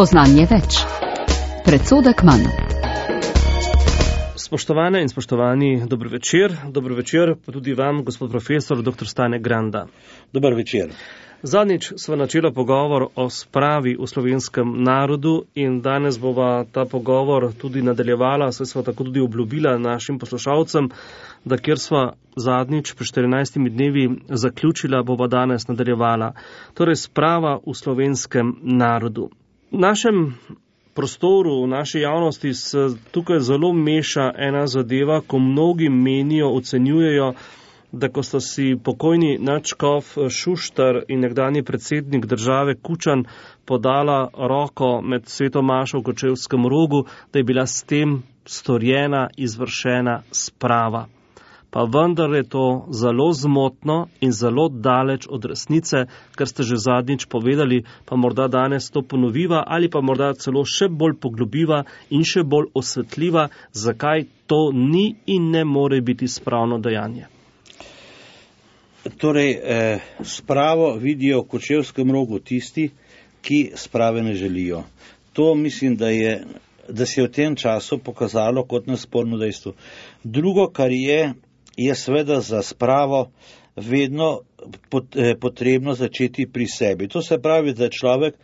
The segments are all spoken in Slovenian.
Spoznanje več. Predsodek manj. Spoštovane in spoštovani, dobro večer. Dobro večer pa tudi vam, gospod profesor, dr. Stane Granda. Dober večer. Zadnjič sva načela pogovor o spravi v slovenskem narodu in danes bova ta pogovor tudi nadaljevala, saj sva tako tudi obljubila našim poslušalcem, da kjer sva zadnjič pri 14 dnevi zaključila, bova danes nadaljevala. Torej sprava v slovenskem narodu. V našem prostoru, v naši javnosti se tukaj zelo meša ena zadeva, ko mnogi menijo, ocenjujejo, da ko sta si pokojni nadškof Šuštar in nekdanji predsednik države Kučan podala roko med sveto mašo v Kočevskem Rogu, da je bila s tem storjena, izvršena sprava. Pa vendar je to zelo zmotno in zelo daleč od resnice, kar ste že zadnjič povedali, pa morda danes to ponoviva ali pa morda celo še bolj poglobiva in še bolj osvetljiva, zakaj to ni in ne more biti spravno dejanje. Torej, spravo vidijo v Kočevskem Rogu tisti, ki sprave ne želijo. To mislim, da se je v tem času pokazalo kot nesporno dejstvo. Drugo, kar je seveda za spravo vedno potrebno začeti pri sebi. To se pravi, da človek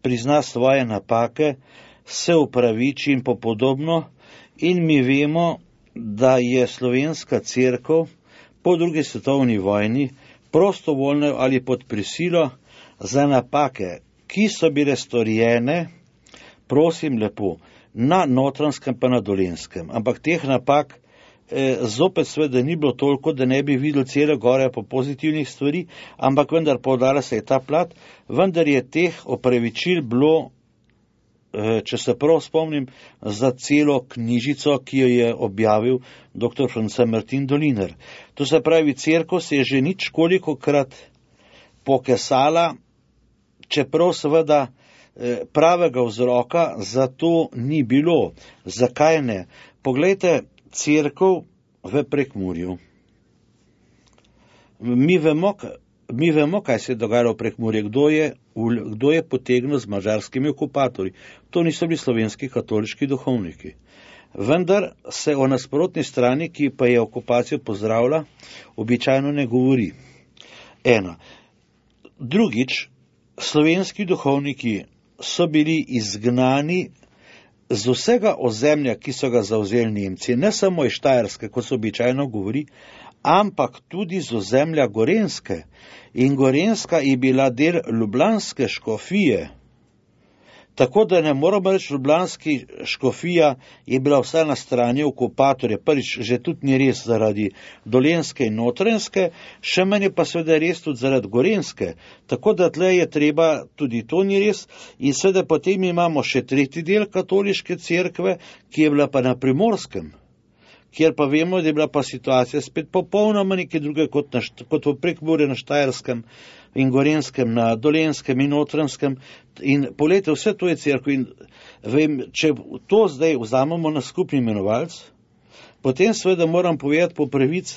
prizna svoje napake, se upraviči in podobno. In mi vemo, da je slovenska cerkev po drugi svetovni vojni prostovoljno ali pod prisilo za napake, ki so bile storjene, prosim lepo, na Notranjskem pa na Dolenjskem. Ampak teh napak zopet seveda ni bilo toliko, da ne bi videli cele gore po pozitivnih stvari, ampak vendar poudarja se je ta plat, vendar je teh opravičil bilo, če se prav spomnim, za celo knjižico, ki jo je objavil dr. France Martin Doliner. To se pravi, cerkev se je že nič kolikokrat pokesala, čeprav seveda pravega vzroka za to ni bilo. Zakaj ne? Poglejte, cerkev v Prekmurju. Mi vemo, kaj se je dogajalo v Prekmurju, kdo je potegnil z madžarskimi okupatorji. To niso bili slovenski katoliški duhovniki. Vendar se o nasprotni strani, ki pa je okupacijo pozdravila, običajno ne govori. Ena. Drugič, slovenski duhovniki so bili izgnani z vsega ozemlja, ki so ga zavzeli Nemci, ne samo iz Štajerske, kot se običajno govori, ampak tudi z ozemlja Gorenjske. In Gorenjska je bila del ljubljanske škofije. Tako da ne moramo reči, ljubljanski škofija je bila vsa na strani okupatorja. Prvič, že tudi ni res zaradi Dolenjske in Notranjske, še manj pa seveda res tudi zaradi Gorenjske. Tako da tle je treba, tudi to ni res. In seveda potem imamo še tretji del katoliške cerkve, ki je bila pa na Primorskem, kjer pa vemo, da je bila pa situacija spet popolnoma nekaj druge kot v Prekmurju, na Štajerskem in Gorenjskem, na Dolenjskem in Notranjskem. In poglejte, vse to je cerkev. In vem, če to zdaj vzamemo na skupni imenovalec, potem seveda moram povedati po pravic,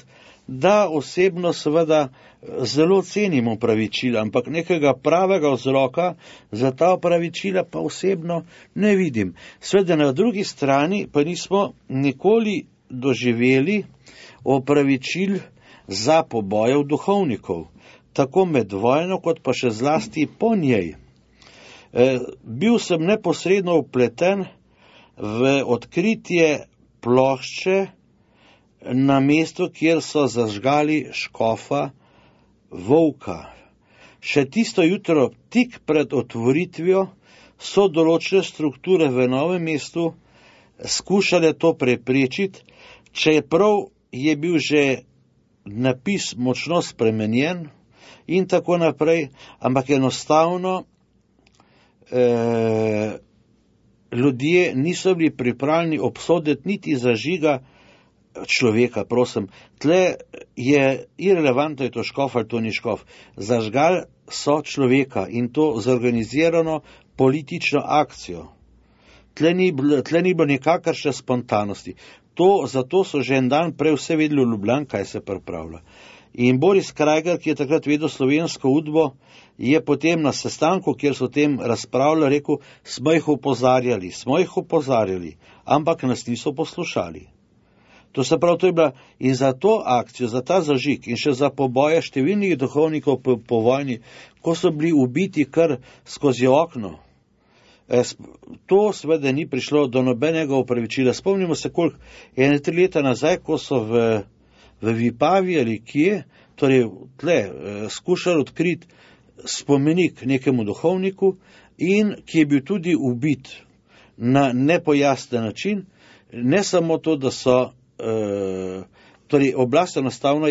da osebno seveda zelo cenim opravičila, ampak nekega pravega vzroka za ta opravičila pa osebno ne vidim. Seveda na drugi strani pa nismo nikoli doživeli opravičil za pobojev duhovnikov, tako med vojno, kot pa še zlasti po njej. Bil sem neposredno vpleten v odkritje plošče na mestu, kjer so zažgali škofa Volka. Še tisto jutro, tik pred otvoritvijo, so določene strukture v Novem mestu skušale to preprečiti, čeprav je bil že napis močno spremenjen in tako naprej, ampak enostavno ljudje niso bili pripravljeni obsoditi niti zažiga človeka, prosim. Tle je irelevantno, je to škof ali to ni škof. Zažgal so človeka in to zorganizirano politično akcijo. Tle ni bilo nikakršne spontanosti. Zato so že en dan prej vse vedeli v Ljubljani, kaj se pripravlja. In Boris Krajger, ki je takrat vedel slovensko udbo, je potem na sestanku, kjer so o tem razpravljali, rekel, smo jih opozarjali, ampak nas niso poslušali. To se pravi, to je bila in za to akcijo, za ta zažig in še za poboje številnih duhovnikov po vojni, ko so bili ubiti kar skozi okno. To seveda ni prišlo do nobenega opravičila. Spomnimo se, koliko 1-3 leta nazaj, ko so v Vipavi ali kje, torej tle, skušali odkriti spomenik nekemu duhovniku in ki je bil tudi ubit na nepojasnen način, ne samo to, da so torej oblast enostavno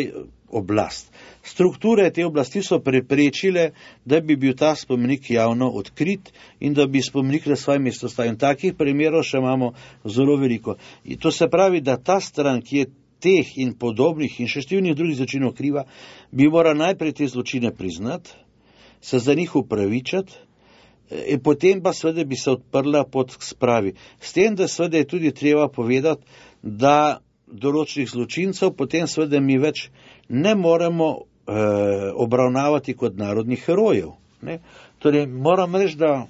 strukture te oblasti so preprečile, da bi bil ta spomenik javno odkrit in da bi spomenik na svoje mesto stavil. Takih primerov še imamo zelo veliko. In to se pravi, da ta stran, ki je teh in podobnih in še številnih drugih zločinov kriva, bi mora najprej te zločine priznati, se za njih upravičati, in potem pa seveda bi se odprla pot k spravi. S tem, da seveda je tudi treba povedati, da določenih zločincev potem seveda mi več ne moremo obravnavati kot narodnih herojev. Ne? Torej, moram reči, da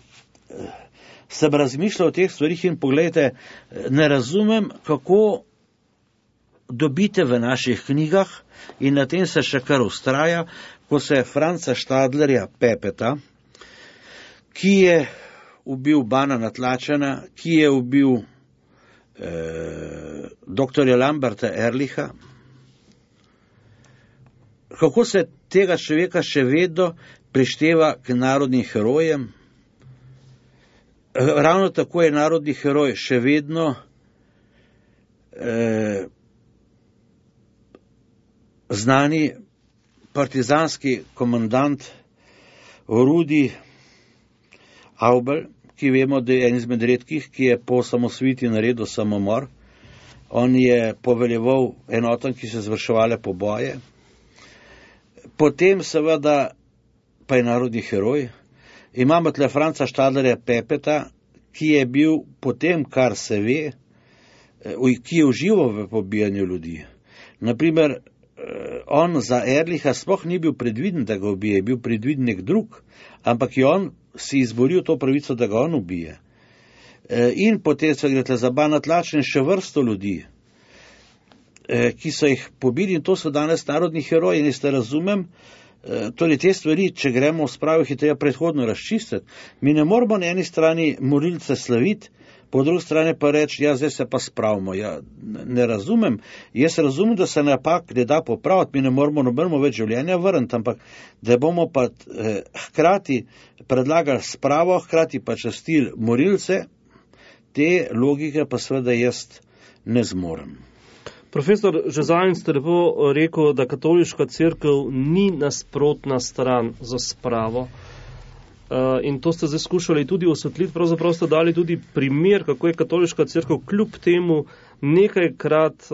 sem razmišljal o teh stvarih in pogledajte, ne razumem, kako dobite v naših knjigah in na tem se še kar ustraja, ko se Franca Štadlerja Pepeta, ki je ubil Bana Natlačana, ki je ubil doktorja Lamberta Ehrlicha, kako se tega človeka še vedno prišteva k narodnim herojem. Ravno tako je narodni heroj še vedno znani partizanski komandant Rudi Aubel, ki vemo, da je en izmed redkih, ki je po osamosvojitvi naredil samomor. On je poveljeval enotam, ki so izvrševale poboje. Potem seveda pa je narodni heroj. Imamo tle Franca Štadlerja Pepeta, ki je bil potem, kar se ve, ki je užival v pobijanju ljudi. Naprimer, on za Ehrlicha sploh ni bil predviden, da ga ubije, je bil predviden nek drug, ampak je on si izboril to pravico, da ga on ubije. In potem se gre za Bana Natlačana še vrsto ljudi, ki so jih pobili in to so danes narodni heroji. In jaz ne razumem, torej te stvari, če gremo v spravo, jih je treba predhodno razčistiti. Mi ne moramo na eni strani morilce slaviti, po drugi strani pa reči, ja, zdaj se pa spravimo. Ja, ne razumem. Jaz razumem, da se napak ne da popraviti, mi ne moramo nobenemu več življenja vrniti, ampak da bomo pa hkrati predlagali spravo, hkrati pa častili morilce, te logike pa seveda jaz ne zmorem. Profesor Žezajn, ste lepo rekel, da katoliška cerkev ni nasprotna stran za spravo. In to ste zdaj skušali tudi osvetliti, pravzaprav ste dali tudi primer, kako je katoliška cerkev kljub temu nekajkrat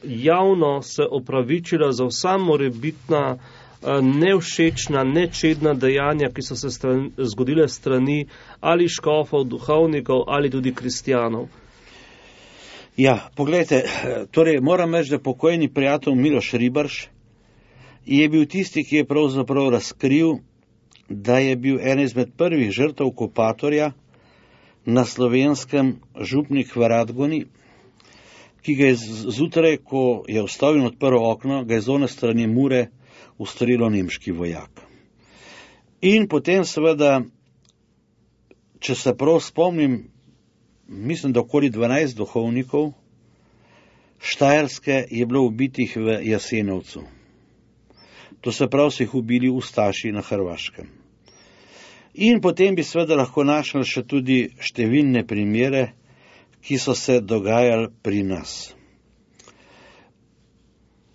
javno se opravičila za vsa morebitna nevšečna, nečedna dejanja, ki so se zgodile strani ali škofov, duhovnikov ali tudi kristjanov. Ja, pogledajte, torej moram reči, da pokojni prijatelj Miloš Ribarš je bil tisti, ki je pravzaprav razkril, da je bil en izmed prvih žrtev okupatorja na Slovenskem župnik v Radgoni, ki ga je zjutraj, ko je vstal in odprl okno, ga je z one strani Mure ustrelil nemški vojak. In potem seveda, če se prav spomnim, mislim, da okoli 12 duhovnikov Štajerske je bilo ubitih v Jasenovcu. To se pravi, so jih ubili ustaši na Hrvaškem. In potem bi seveda lahko našli še tudi številne primere, ki so se dogajali pri nas.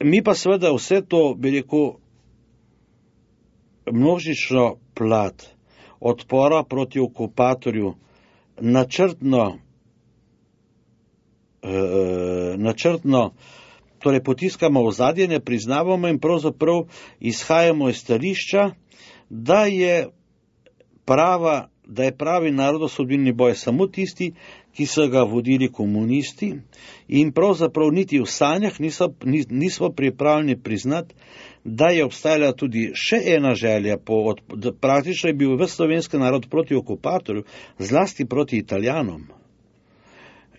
Mi pa seveda vse to, bi rekel, množično plat odpora proti okupatorju načrtno torej potiskamo v zadje, ne priznavamo in pravzaprav izhajamo iz stališča, da je pravi narodosodilni boj samo tisti, ki so ga vodili komunisti, in pravzaprav niti v sanjah nismo pripravljeni priznati, da je obstajala tudi še ena želja, praktično je bil ves slovenski narod proti okupatorju, zlasti proti Italijanom.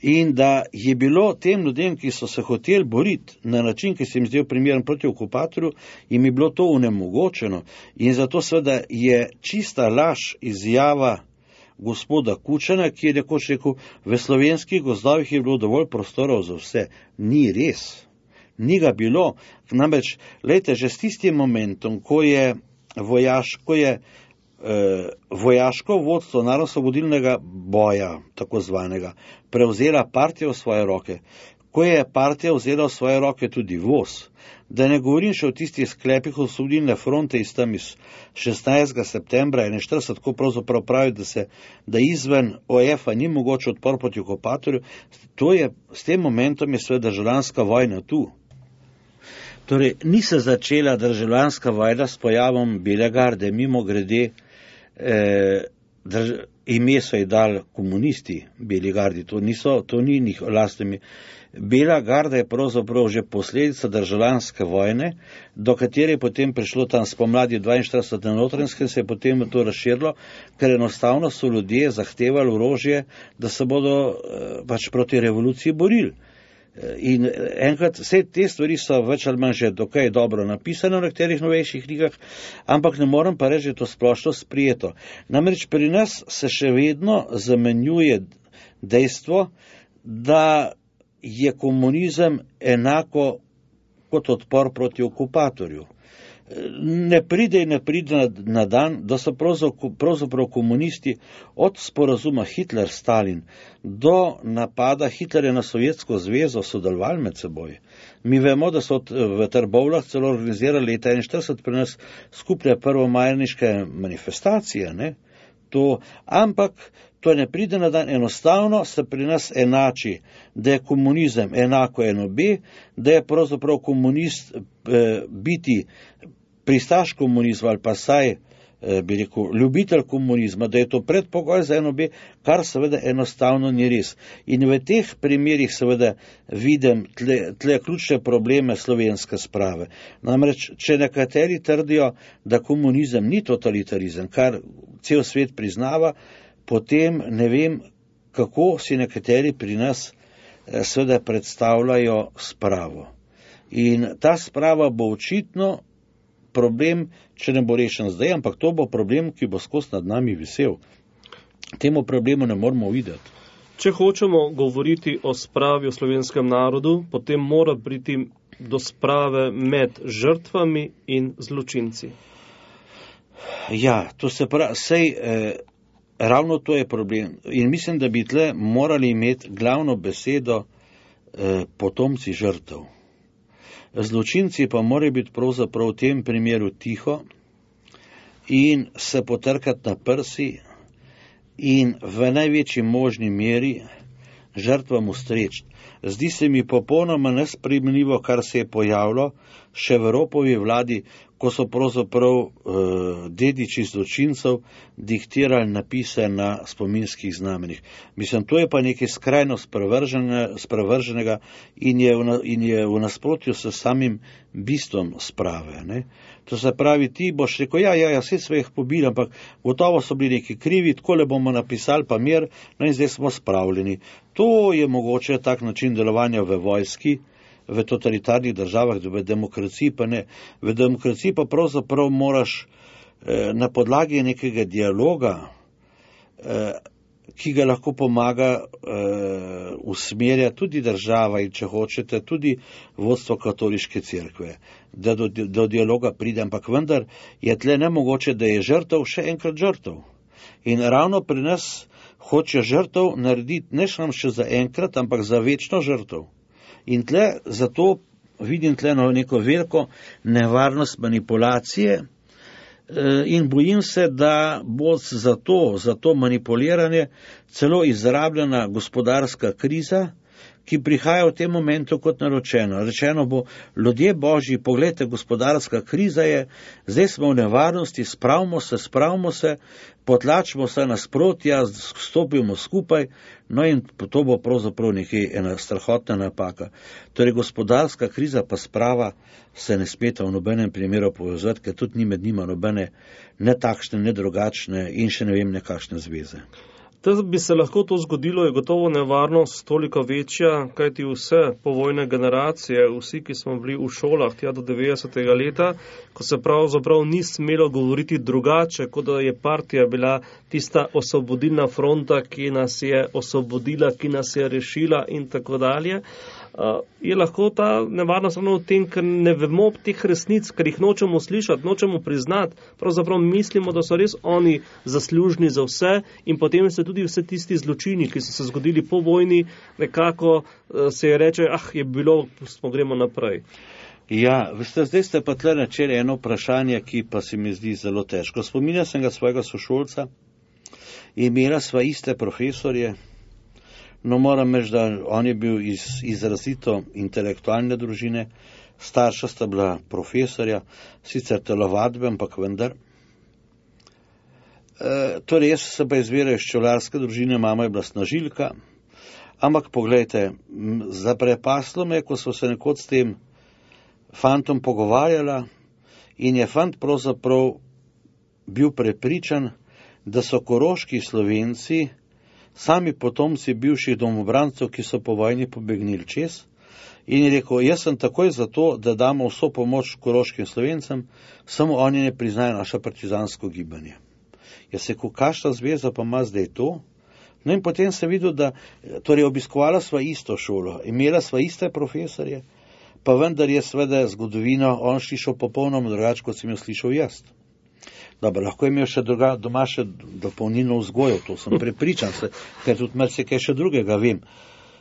In da je bilo tem ljudem, ki so se hoteli boriti na način, ki se jim zdel primeren proti okupatorju, jim je bilo to onemogočeno. In zato seveda je čista laž izjava gospoda Kučana, ki je nekoč rekel, v slovenskih gozdovih je bilo dovolj prostorov za vse. Ni res. Ni ga bilo. Namreč, lejte, že s tistim momentom, ko je vojaško vodstvo narodno-osvobodilnega boja, tako zvanega, prevzela partija v svoje roke, ko je partija vzela v svoje roke tudi voz, da ne govorim še o tistih sklepih osvobodilne fronte iz 16. septembra 1941, ko pravzaprav pravi, da izven OF-a ni mogoče odpor proti okupatorju, s tem momentom je seveda državljanska vojna tu. Torej, ni se začela državljanska vojna s pojavom Bele garde, mimo grede, ime so ji dali komunisti Beli gardi, to ni njih lastnimi. Bela garda je pravzaprav že posledica državljanske vojne, do katere je potem prišlo tam spomladi 42. na Notranjskem, se je potem to razširilo, ker enostavno so ljudje zahtevali orožje, da se bodo pač proti revoluciji borili. In enkrat, vse te stvari so več ali manj že dokaj dobro napisane v nekaterih novejših knjigah, ampak ne morem pa reči, da je to splošno sprijeto. Namreč pri nas se še vedno zamenjuje dejstvo, da je komunizem enako kot odpor proti okupatorju. Ne pride na dan, da so pravzaprav komunisti od sporazuma Hitler-Stalin do napada Hitlerja na Sovjetsko zvezo sodelovali med seboj. Mi vemo, da so v Trbovljah celo organizirali leta 1941 pri nas skupne prvomajniške manifestacije, ne? Ampak to ne pride na dan, enostavno se pri nas enači, da je komunizem enako NOB, da je pravzaprav komunist biti pristaš komunizma ali pa saj, bi rekel, ljubitelj komunizma, da je to predpogoj za NOB, kar seveda enostavno ni res. In v teh primerih seveda vidim tle ključne probleme slovenske sprave. Namreč, če nekateri trdijo, da komunizem ni totalitarizem, kar cel svet priznava, potem ne vem, kako si nekateri pri nas seveda predstavljajo spravo. In ta sprava bo očitno problem, če ne bo rešen zdaj, ampak to bo problem, ki bo skozi nad nami visel. Temu problemu ne moramo videti. Če hočemo govoriti o spravi v slovenskem narodu, potem mora priti do sprave med žrtvami in zločinci. Ja, to se pravi, ravno to je problem. In mislim, da bi tle morali imeti glavno besedo potomci žrtev. Zločinci pa morajo biti pravzaprav v tem primeru tiho in se potrkati na prsi in v največji možni meri žrtvam ustreči. Zdi se mi popolnoma nesprejemljivo, kar se je pojavilo še v Ropovi vladi, ko so pravzaprav dediči zločincev diktirali napise na spominskih znamenjih. Mislim, to je pa nekaj skrajno sprevrženega in je v nasprotju s samim bistvom sprave. Ne? To se pravi, ti boš rekel, vse so jih pobili, ampak gotovo so bili neki krivi, takole bomo napisali pa mir, no in zdaj smo spravljeni. To je mogoče tak način delovanja v vojski, v totalitarnih državah, v demokraciji pa ne. V demokraciji pa pravzaprav moraš na podlagi nekega dialoga, ki ga lahko pomaga usmerja tudi država in če hočete tudi vodstvo katoliške cerkve, da do dialoga pride, ampak vendar je tle nemogoče, da je žrtev še enkrat žrtev. In ravno pri nas hoče žrtev narediti ne samo še za enkrat, ampak za večno žrtev. In tle, zato vidim tle neko veliko nevarnost manipulacije in bojim se, da bo za to manipuliranje celo izrabljena gospodarska kriza, ki prihaja v tem momentu kot naročeno. Rečeno bo, ljudje Božji, poglejte, gospodarska kriza je, zdaj smo v nevarnosti, spravimo se, potlačimo se nasprotja, stopimo skupaj, no in to bo pravzaprav ena strahotna napaka. Torej, gospodarska kriza pa sprava se ne smeta v nobenem primeru povezati, ker tudi ni med njima nobene ne takšne, ne drugačne in še ne vem nekakšne zveze. Da bi se lahko to zgodilo, je gotovo nevarnost toliko večja, kajti vse povojne generacije, vsi, ki smo bili v šolah tja do 90. leta, ko se pravzaprav ni smelo govoriti drugače, kot da je partija bila tista osvobodilna fronta, ki nas je osvobodila, ki nas je rešila in tako dalje, je lahko ta nevarnost samo v tem, ker ne vemo teh resnic, ker jih nočemo slišati, nočemo priznati, pravzaprav mislimo, da so res oni zaslužni za vse in potem se tudi vse tisti zločini, ki so se zgodili po vojni, nekako se je reče, je bilo, gremo naprej. Ja, veste, zdaj ste pa tle načeli eno vprašanje, ki pa se mi zdi zelo težko. Spominjam se ga svojega sošolca, imela sva iste profesorje, no moram reči, da on je bil iz izrazito intelektualne družine, starša sta bila profesorja, sicer telovadbe, ampak vendar. Torej, jaz sem pa izviral iz čevljarske družine, mama je bila snažilka, ampak poglejte, zaprepaslo me, ko so se nekoč s tem fantom pogovarjala in je fant pravzaprav bil prepričan, da so koroški Slovenci sami potomci bivših domobrancev, ki so po vojni pobegnili čez, in je rekel, jaz sem takoj za to, da damo vso pomoč koroškim Slovencem, samo oni ne priznajo naše partizansko gibanje. Jaz se kakšna zveza pa ima zdaj to? No in potem sem videl, da torej obiskovala sva isto šolo, imela sva iste profesorje, pa vendar je seveda zgodovino on slišal popolnoma drugače, kot sem jo slišal jaz. Dobro, lahko je imel še doma še dopolnilno vzgojo, to sem prepričan se, ker tudi marsikaj še drugega vem.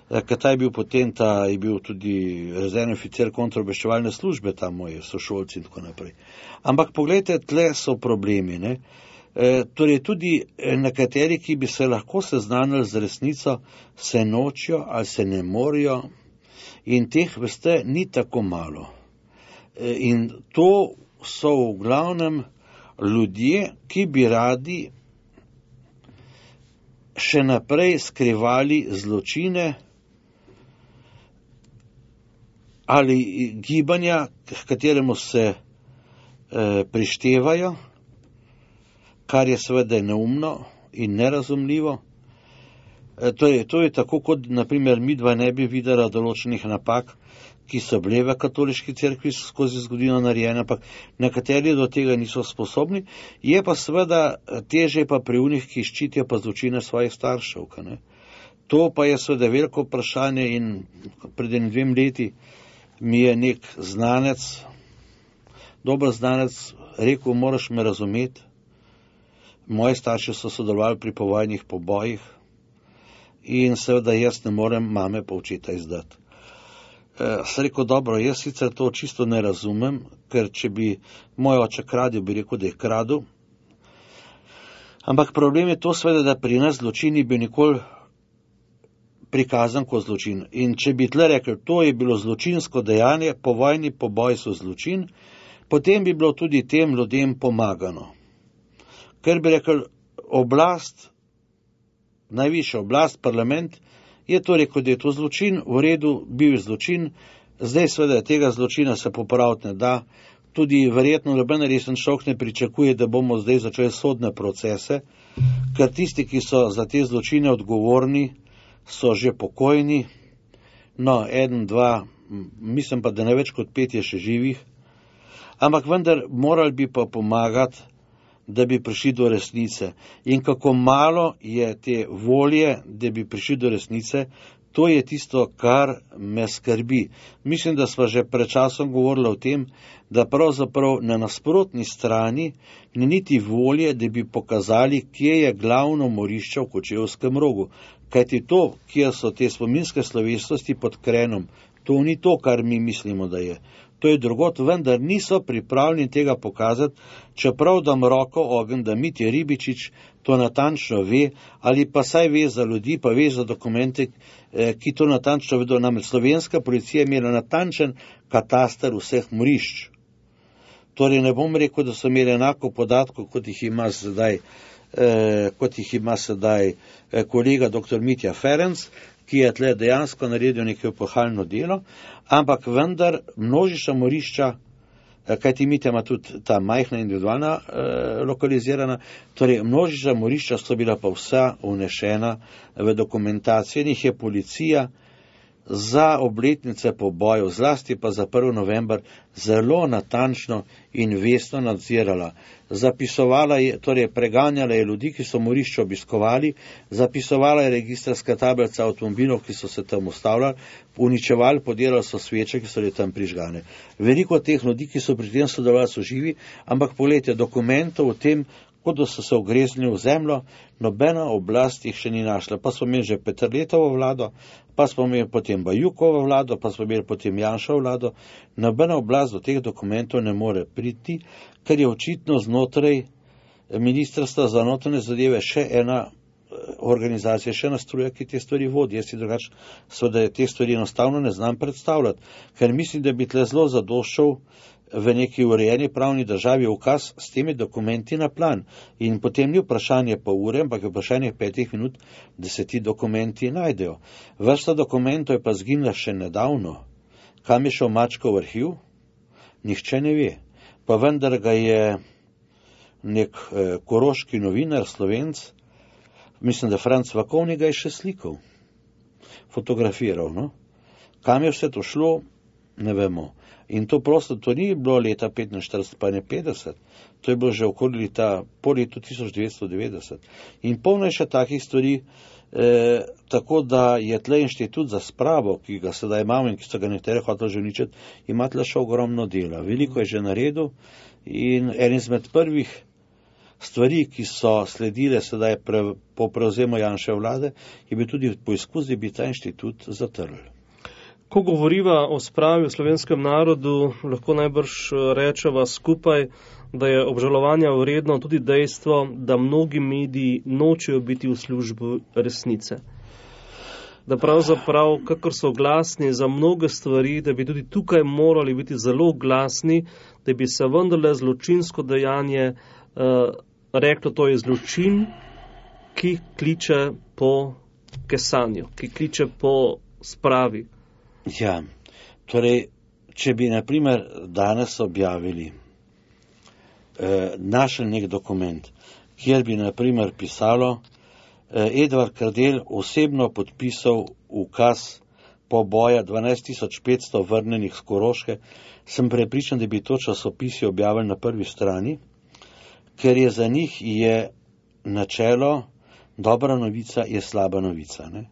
Ker ta je bil potem, je bil tudi rezervni oficir kontraobveščevalne službe, tam moji sošolci in tako naprej. Ampak poglejte, tle so problemi, ne. Torej tudi nekateri, ki bi se lahko seznanili z resnico, se nočijo ali se ne morejo in teh, veste, ni tako malo. In to so v glavnem ljudje, ki bi radi še naprej skrivali zločine ali gibanja, k kateremu se prištevajo, kar je seveda neumno in nerazumljivo. To je tako, kot naprimer midva ne bi videla določenih napak, ki so bile v katoliški cerkvi skozi zgodovino narejene, ampak nekateri do tega niso sposobni, je pa seveda težje pa pri unih, ki ščitijo pa zločine svojih staršev. Ne? To pa je seveda veliko vprašanje in pred 2 leti mi je nek znanec, dober znanec, rekel, moraš me razumeti, moji starši so sodelovali pri povojnih pobojih in seveda jaz ne morem mame pa očeta izdati. Sem rekel, dobro, jaz sicer to čisto ne razumem, ker če bi moj oče kradil, bi rekel, da je kradil. Ampak problem je to seveda, da pri nas zločin ni bil nikoli prikazan kot zločin. In če bi tle rekel, to je bilo zločinsko dejanje, povojni poboj so zločin, potem bi bilo tudi tem ljudem pomagano. Ker bi rekel, oblast, najvišja oblast, parlament, je to rekel, da je to zločin, v redu, bil je zločin, zdaj seveda tega zločina se popraviti ne da, tudi verjetno noben resen človek ne pričakuje, da bomo zdaj začeli sodne procese, ker tisti, ki so za te zločine odgovorni, so že pokojni, no, 1, 2, mislim pa, da ne več kot 5 je še živih, ampak vendar morali bi pa pomagati, da bi prišli do resnice. In kako malo je te volje, da bi prišli do resnice, to je tisto, kar me skrbi. Mislim, da sva že pred časom govorila o tem, da pravzaprav na nasprotni strani ni niti volje, da bi pokazali, kje je glavno morišče v Kočevskem rogu. Kajti to, kjer so te spominske slovesnosti pod Krenom, to ni to, kar mi mislimo, da je. to je drugot, vendar niso pripravljeni tega pokazati, čeprav dam roko ogen, da Mitja Ribičič to natančno ve, ali pa saj ve za ljudi, pa ve za dokumente, ki to natančno vedo. Namreč slovenska policija je imela natančen kataster vseh morišč. Torej ne bom rekel, da so imeli enako podatkov, kot jih ima sedaj kolega dr. Mitja Ferenc, ki je tle dejansko naredil neko epohalno delo, ampak vendar množična morišča, kajti Mitja ima tudi ta majhna individualna lokalizirana, torej množična morišča so bila pa vsa vnešena v dokumentacijo in jih je policija za obletnice pobojev, zlasti pa za 1. november, zelo natančno in vestno nadzirala. Zapisovala je, torej preganjala je ljudi, ki so morišče obiskovali, zapisovala je registrska tablica avtomobilov, ki so se tam ustavljali, uničevali, podirali so sveče, ki so bile tam prižgane. Veliko teh ljudi, ki so pri tem sodelovali, so živi, ampak poglejte, dokumentov o tem, kot da so se ogreznili v zemljo, nobena oblast jih še ni našla. Pa smo imeli že Peterletovo vlado, pa smo imeli potem Bajukovo vlado, pa smo imeli potem Janšovo vlado. Nobena oblast do teh dokumentov ne more priti, ker je očitno znotraj Ministrstva za notranje zadeve še ena organizacija, še ena struja, ki te stvari vodi. Jaz si drugače seveda te stvari enostavno ne znam predstavljati, ker mislim, da bi tle zelo zadoščal v neki urejeni pravni državi ukaz s temi dokumenti na plan. In potem ni vprašanje pa ure, ampak je vprašanje 5 minut, da se ti dokumenti najdejo. Vrsta dokumentov je pa zginila še nedavno. Kam je šel Mačkov arhiv? Nihče ne ve. Pa vendar ga je nek koroški novinar, Slovenc, mislim, da Franc Vakovnik ga je še slikal, fotografiral. No? Kam je vse to šlo, ne vemo. In to prosto, to ni bilo leta 45, pa ne 50, to je bilo že okoli po letu 1990. In polno je še takih stvari, tako da je tle inštitut za spravo, ki ga sedaj imamo in ki so ga nekateri hoteli že uničiti, ima tle še ogromno dela. Veliko je že naredil in en izmed prvih stvari, ki so sledile sedaj po prevzemu Janševe vlade, je bil tudi poizkus, da bi ta inštitut zatrl. Ko govoriva o spravi v slovenskem narodu, lahko najbrž rečeva skupaj, da je obžalovanja vredno tudi dejstvo, da mnogi mediji nočejo biti v službi resnice. Da pravzaprav, kakor so glasni za mnoge stvari, da bi tudi tukaj morali biti zelo glasni, da bi se vendarle zločinsko dejanje reklo, to je zločin, ki kliče po kesanju, ki kliče po spravi. Ja, torej, če bi naprimer danes objavili, našel nek dokument, kjer bi naprimer pisalo, Edvard Kardel osebno podpisal ukaz poboja 12.500 vrnenih z Koroške, sem prepričan, da bi to časopisi objavili na prvi strani, ker je za njih je načelo, dobra novica je slaba novica, ne?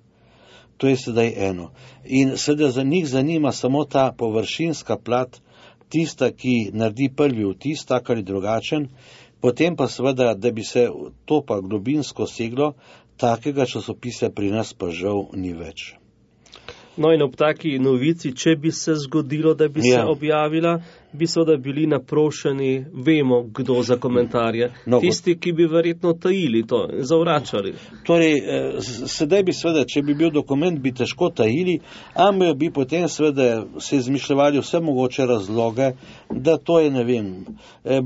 To je sedaj eno. In sedaj za njih zanima samo ta površinska plat, tista, ki naredi prvi vtis, tak ali drugačen, potem pa seveda, da bi se to pa globinsko seglo, takega časopisa pri nas pa žal ni več. No in ob taki novici, če bi se zgodilo, da bi se objavila, bi seveda bili naprošeni, vemo, kdo za komentarje. Tisti, ki bi verjetno tajili to, zavračali. Torej, sedaj bi seveda, če bi bil dokument, bi težko tajili, ampak bi potem seveda se izmišljali vse mogoče razloge, da to je, ne vem,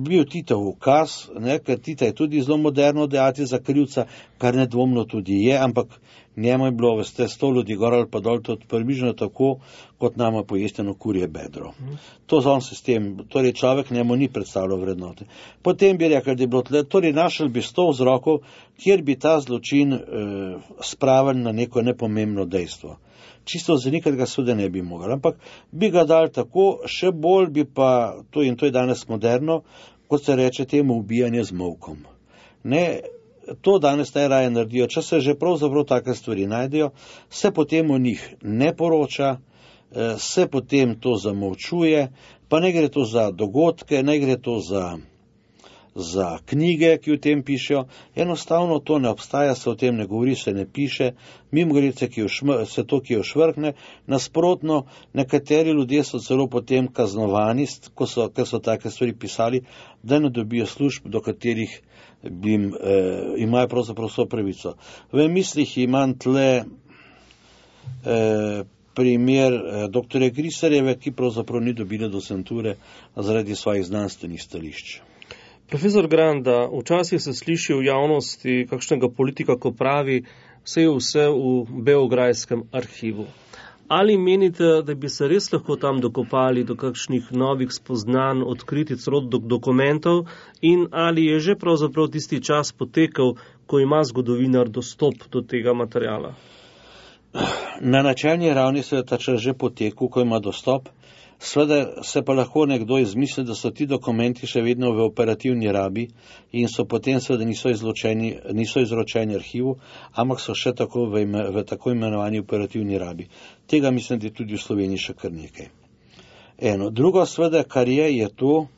bil Titov ukaz, ne, ker Tita je tudi zelo moderno dejati za krivca, kar nedvomno tudi je, ampak njemu je bilo, veste, 100 ljudi gor ali pa dol, tudi približno tako, kot nama pojesteno kurje bedro. To z on sistem, torej človek njemu ni predstavljal vrednote. Potem bi rekel, da je bilo tle, torej našel bi 100 vzrokov, kjer bi ta zločin spravili na neko nepomembno dejstvo. Čisto zanikati ga seveda ne bi mogli, ampak bi ga dali tako, še bolj bi pa, to je danes moderno, kot se reče temu ubijanje z molkom. Ne, to danes najraje naredijo, če se že pravzaprav take stvari najdejo, se potem o njih ne poroča, se potem to zamolčuje, pa ne gre to za dogodke, ne gre to za za knjige, ki o tem pišejo. Enostavno to ne obstaja, se o tem ne govori, se ne piše, mimogrede se to, ki jo švrkne. Nasprotno, nekateri ljudje so celo potem kaznovani, ker so take stvari pisali, da ne dobijo služb, do katerih imajo pravzaprav vso pravico. V mislih imam tle primer dr. Grisarjeve, ki pravzaprav ni dobila docenture zaradi svojih znanstvenih stališč. Profesor Granda, včasih se sliši v javnosti kakšnega politika, ko pravi, vse v beograjskem arhivu. Ali menite, da bi se res lahko tam dokopali do kakšnih novih spoznanj, odkriti celo dokumentov in ali je že pravzaprav tisti čas potekel, ko ima zgodovinar dostop do tega materijala? Na načelni ravni se je ta čas že potekel, ko ima dostop. Sveda se pa lahko nekdo izmisli, da so ti dokumenti še vedno v operativni rabi in so potem seveda niso izročeni arhivu, ampak so še tako v tako imenovani operativni rabi. Tega mislim, da je tudi v Sloveniji še kar nekaj. Drugo seveda, kar je to,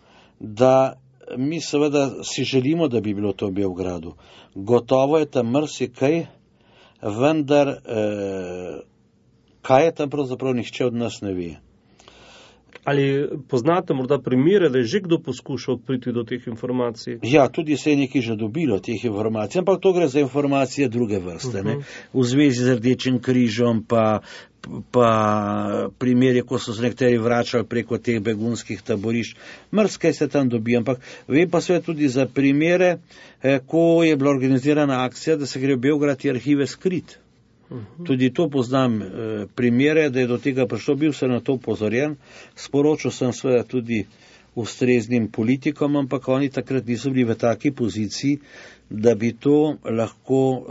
da mi seveda si želimo, da bi bilo to v Beogradu. Gotovo je tam marsikaj, vendar kaj je tam pravzaprav nihče od nas ne ve. Ali poznate morda primere, da je že kdo poskušal priti do teh informacij? Ja, tudi se je nekaj že dobilo teh informacij, ampak to gre za informacije druge vrste, ne? V zvezi z Rdečim križom, pa primeri, ko so se nekateri vračali preko teh begunskih taborišč. Marsikaj se tam dobi, ampak vem pa sve tudi za primere, ko je bila organizirana akcija, da se gre v Beograd arhive skrit. Tudi to poznam primere, da je do tega prišlo, bil sem na to upozorjen, sporočil sem seveda tudi ustreznim politikom, ampak oni takrat niso bili v taki poziciji, da bi to lahko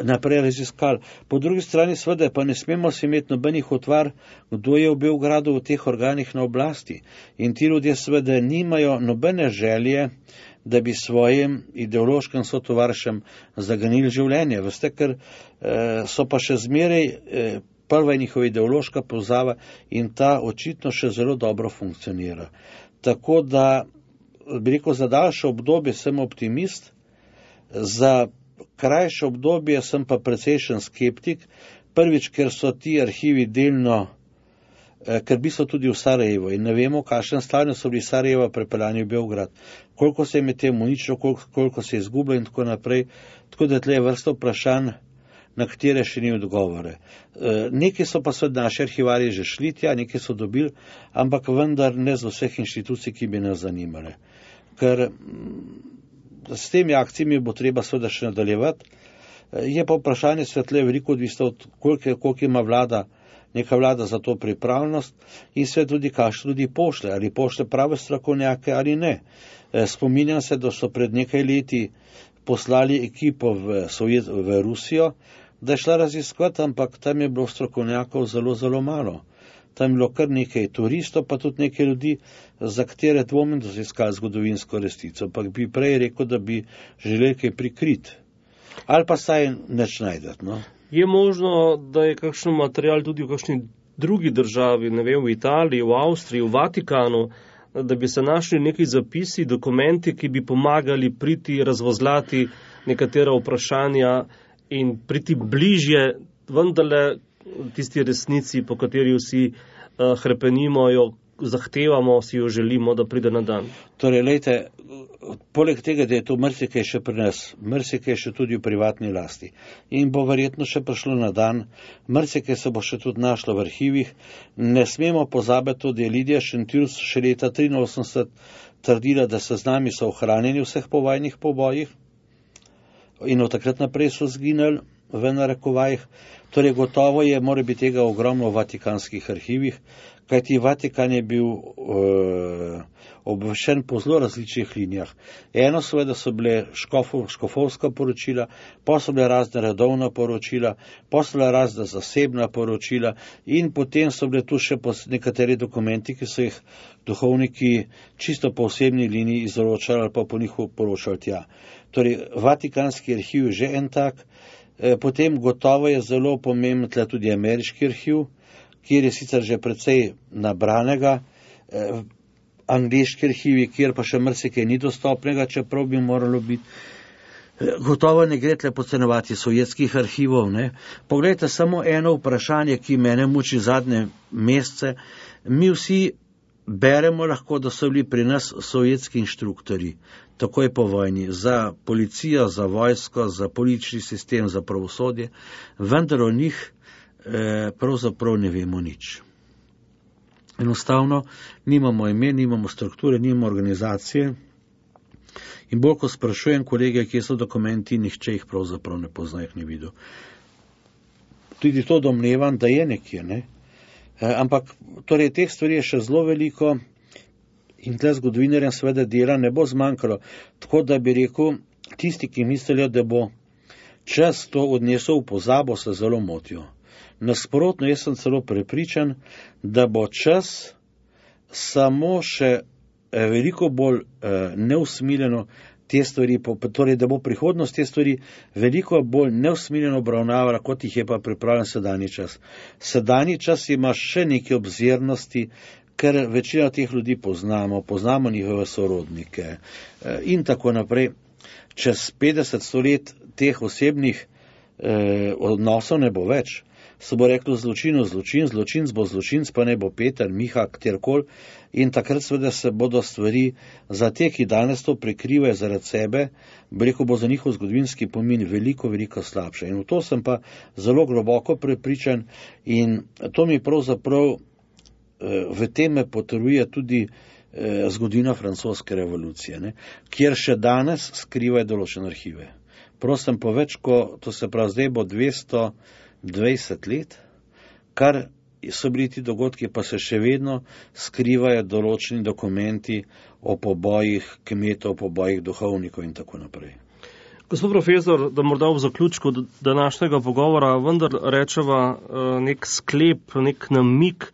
naprej raziskali. Po drugi strani seveda pa ne smemo si imeti nobenih utvar, kdo je v Beogradu v teh organih na oblasti. In ti ljudje seveda nimajo nobene želje, da bi svojim ideološkim sotovaršem zaganili življenje. Veste, ker so pa še zmeraj prva njihova ideološka povzava in ta očitno še zelo dobro funkcionira. Tako da, bi rekel, za daljše obdobje sem optimist, za krajše obdobje sem pa precejšen skeptik. Prvič, ker so ti arhivi delno, ker bi so tudi v Sarajevo in ne vemo, kakšen stanju so bili Sarajeva prepeljani v Beograd, koliko se je med tem uničilo, koliko se je izgubilo in tako naprej. Tako da tle je vrsta vprašanj, na katere še ni odgovore. Neki so pa seveda naši arhivarji že šli tja, neki so dobili, ampak vendar ne z vseh inštitucij, ki bi nas zanimale. Ker s temi akcijami bo treba seveda še nadaljevati. Je pa vprašanje svetle veliko odvisno od koliko ima neka vlada za to pripravljenost in sve tudi kakšne ljudi pošle, ali pošle prave strokovnjake ali ne. Spominjam se, da so pred nekaj leti poslali ekipo v Rusijo, da je šla raziskovati, ampak tam je bilo strokovnjakov zelo, zelo malo. Tam je bilo kar nekaj turistov, pa tudi nekaj ljudi, za katere dvomim, da so iskali zgodovinsko resnico, ampak bi prej rekel, da bi želeli kaj prikriti. Ali pa saj neč najdeti, no? Je možno, da je kakšen material tudi v kakšni drugi državi, ne vem, v Italiji, v Avstriji, v Vatikanu, da bi se našli neki zapisi, dokumenti, ki bi pomagali priti razvozlati nekatera vprašanja in priti bližje vendarle tisti resnici, po kateri vsi hrepenimo, jo zahtevamo, si jo želimo, da pride na dan. Torej, lejte, poleg tega, da je to marsikaj še pri nas, marsikaj še tudi v privatni lasti in bo verjetno še prišlo na dan, marsikaj se bo še tudi našlo v arhivih. Ne smemo pozabiti, da je Lidija Šentjurs še leta 1983 trdila, da seznami so ohranjeni vseh povojnih pobojih in od takrat naprej so zginili v narekovajih. Torej, gotovo je, mora biti tega ogromno v vatikanskih arhivih, kajti Vatikan je bil obveščen po zelo različnih linijah. Eno seveda so bile škofovska poročila, pa so bile razne redovna poročila, pa so bile razne zasebna poročila in potem so bile tu še nekateri dokumenti, ki so jih duhovniki čisto po osebni liniji izročali ali pa po njih poročali tja. Torej, Vatikanski arhiv je že en tak. Potem gotovo je zelo pomemben tudi ameriški arhiv, kjer je sicer že precej nabranega. angleški arhivi, kjer pa še marsikaj ni dostopnega, čeprav bi moralo biti. Gotovo ne gre tle podcenjevati sovjetskih arhivov, ne. Poglejte, samo eno vprašanje, ki mene muči zadnje mesece. Mi vsi beremo lahko, da so bili pri nas sovjetski inštruktori, takoj po vojni, za policijo, za vojsko, za politični sistem, za pravosodje, vendar o njih pravzaprav ne vemo nič. Enostavno nimamo imen, nimamo strukture, nimamo organizacije in bolj ko sprašujem kolege, kje so dokumenti, nihče jih pravzaprav ne pozna, jih ni videl. Tudi to domnevam, da je nekje, ne? Ampak torej teh stvari je še zelo veliko in tle zgodovinarjem seveda dela ne bo zmanjkalo, tako da bi rekel, tisti, ki mislijo, da bo čas to odnesel v pozabo, se zelo motijo. Nasprotno, jaz sem celo prepričan, da bo čas samo še veliko bolj neusmiljeno te stvari, torej da bo prihodnost te stvari veliko bolj neusmiljeno obravnavala, kot jih je pa pripravljen sedanji čas. Sedanji čas ima še neke obzirnosti, ker večina teh ljudi poznamo njihove sorodnike in tako naprej. Čez 50 let teh osebnih odnosov ne bo več. Se bo reklo zločinc bo zločinc, pa ne bo Peter, Miha, kjerkoli. In takrat seveda se bodo stvari za te, ki danes to prikrivajo zaradi sebe, rekel bo za njihov zgodovinski pomen veliko, veliko slabše. In v to sem pa zelo globoko prepričan in to mi pravzaprav v tem me potrjuje tudi zgodovina francoske revolucije, ne, kjer še danes skrivajo določene arhive. Prosim po več, to se pravi zdaj bo 220 let, kar so bili ti dogodki, pa se še vedno skrivajo določeni dokumenti o pobojih kmetov, o pobojih duhovnikov in tako naprej. Gospod profesor, da morda v zaključku današnjega pogovora vendar rečeva nek sklep, nek namig,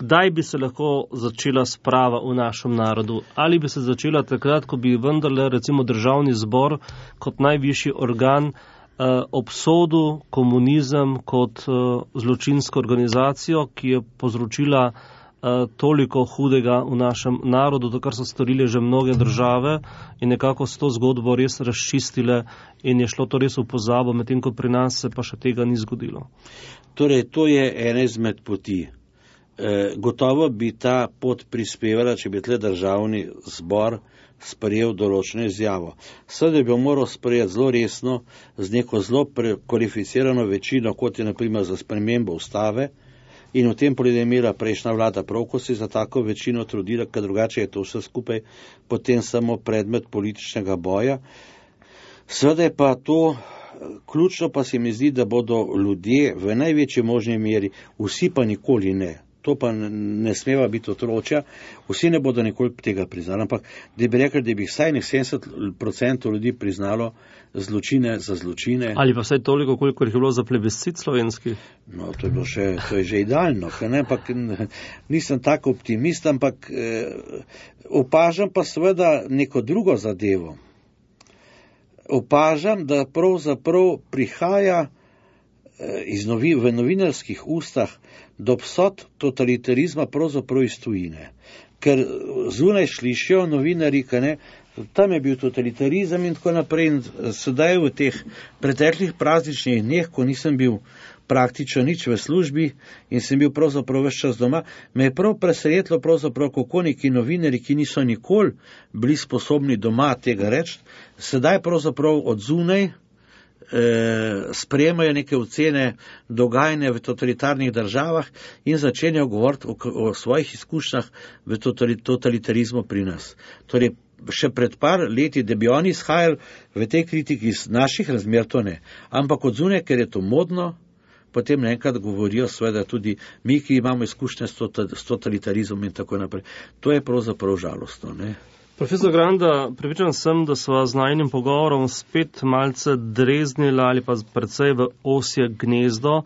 kdaj bi se lahko začela sprava v našem narodu? Ali bi se začela takrat, ko bi vendarle recimo državni zbor kot najvišji organ obsodil komunizem kot zločinsko organizacijo, ki je povzročila toliko hudega v našem narodu, to kar so storile že mnoge države in nekako s to zgodbo res razčistile in je šlo to res v pozabo, medtem ko pri nas se pa še tega ni zgodilo. Torej, to je ena izmed poti. Gotovo bi ta pot prispevala, če bi tle državni zbor sprejel določeno izjavo. Seveda bi jo moral sprejeti zelo resno, z neko zelo kvalificirano večino, kot je naprimer za spremembo ustave, in v tem pogledu je imela prejšnja vlada prav, ko se je za tako večino trudila, ker drugače je to vse skupaj potem samo predmet političnega boja. Seveda je pa to ključno, pa se mi zdi, da bodo ljudje v največji možni meri, vsi pa nikoli ne, to pa ne smeva biti otročja, vsi ne bodo nikoli tega priznali, ampak da bi rekli, da bi vsaj 70% ljudi priznalo zločine za zločine. Ali pa vsaj toliko, koliko je bilo za plebiscit slovenski? No, to je že idealno, ampak nisem tako optimist, ampak opažam pa seveda neko drugo zadevo. Opažam, da pravzaprav prihaja v novinarskih ustah do obsod totalitarizma pravzaprav iz tujine. Ker zunaj slišijo novinarji, tam je bil totalitarizem in tako naprej. In sedaj v teh preteklih prazničnih dneh, ko nisem bil praktično nič v službi in sem bil pravzaprav ves čas doma, me je prav presenetilo pravzaprav, kako neki novinarji, ki niso nikoli bili sposobni doma tega reči, sedaj pravzaprav od zunaj sprejemajo neke ocene dogajanja v totalitarnih državah in začenjajo govoriti o svojih izkušnjah v totalitarizmu pri nas. Torej, še pred par leti, da bi oni izhajali v tej kritiki iz naših razmer, to ne. Ampak od zunaj, ker je to modno, potem naenkrat govorijo seveda tudi mi, ki imamo izkušnje s totalitarizmom in tako naprej. To je pravzaprav žalostno, ne. Profesor Granda, prepričan sem, da sva z najinim pogovorom spet malce dreznila ali pa precej v osje gnezdo,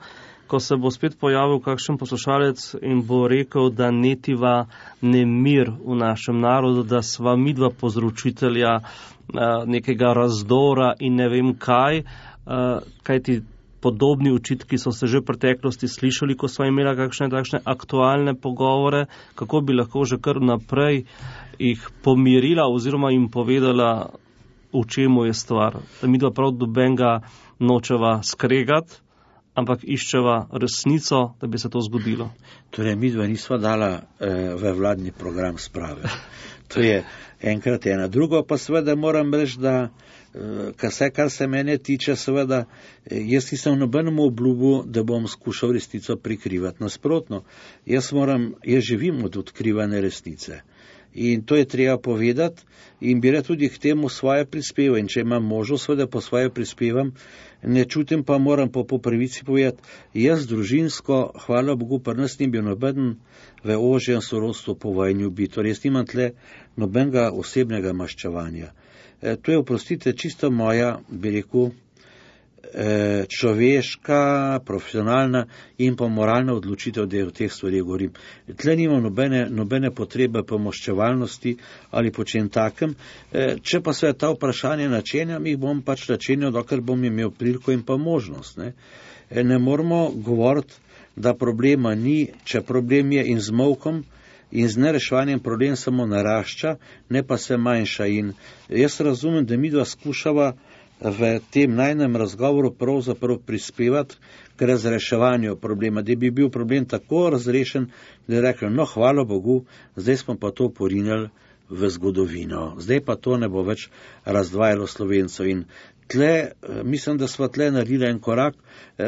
ko se bo spet pojavil kakšen poslušalec in bo rekel, da netiva nemir v našem narodu, da sva midva povzročitelja nekega razdora in ne vem kaj, kajti podobni očitki so se že v preteklosti slišali, ko sva imela kakšne takšne aktualne pogovore, kako bi lahko že kar naprej jih pomirila oziroma jim povedala, v čemu je stvar. Da mi dva prav dobenga nočeva skregati, ampak iščeva resnico, da bi se to zgodilo. Torej, mi dva nisva dala v vladni program sprave. To je enkrat ena. Drugo pa seveda moram reči, da kar se mene tiče, seveda, jaz nisem nobenemu obljubil, da bom skušal resnico prikrivati. Nasprotno, jaz živim od odkrivane resnice. In to je treba povedati in bi rad tudi k temu svoje prispeva. In če imam možnost, seveda po svoje prispevam, ne čutim pa moram po pravici povedati, jaz družinsko, hvala Bogu, pa nas ni bil noben v ožjem sorodstvu po vojni ubit. Torej, jaz nimam tle nobenega osebnega maščevanja. To je, oprostite, čisto moja, bi rekel, človeška, profesionalna in pa moralna odločitev, da o teh stvarih govorim. Tle nimam nobene potrebe po maščevalnosti ali po čem takem. Če pa se ta vprašanja načenjam, jih bom pač načenjal, dokler bom imel priliko in pa možnost. Ne moramo govoriti, da problema ni, če problem je in z molkom in z nereševanjem problem samo narašča, ne pa se manjša. In jaz razumem, da mi dva skušava v tem najnem razgovoru pravzaprav prispevati k razreševanju problema, da bi bil problem tako razrešen, da je rekel, no, hvala Bogu, zdaj smo pa to porinjali v zgodovino. Zdaj pa to ne bo več razdvajalo Slovencev. In tle, mislim, da sva tle naredila en korak,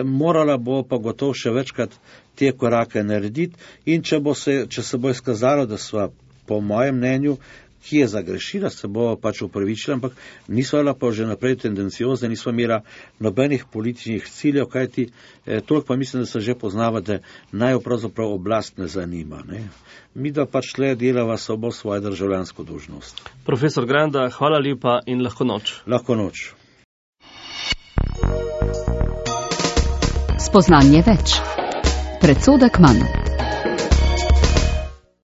morala bo pa gotovo še večkrat te korake narediti in če se bo izkazalo, da sva po mojem mnenju, ki je zagrešila, se bo pač upravičila, ampak nisva bila pa že naprej tendenciozna, nisva imela nobenih političnih ciljev, kajti toliko pa mislim, da se že poznava, da naj pravzaprav oblast ne zanima. Mi da pač tle delava samo svojo državljansko dolžnost. Profesor Granda, hvala lepa in lahko noč. Lahko noč. Spoznanje več. Predsodek manj.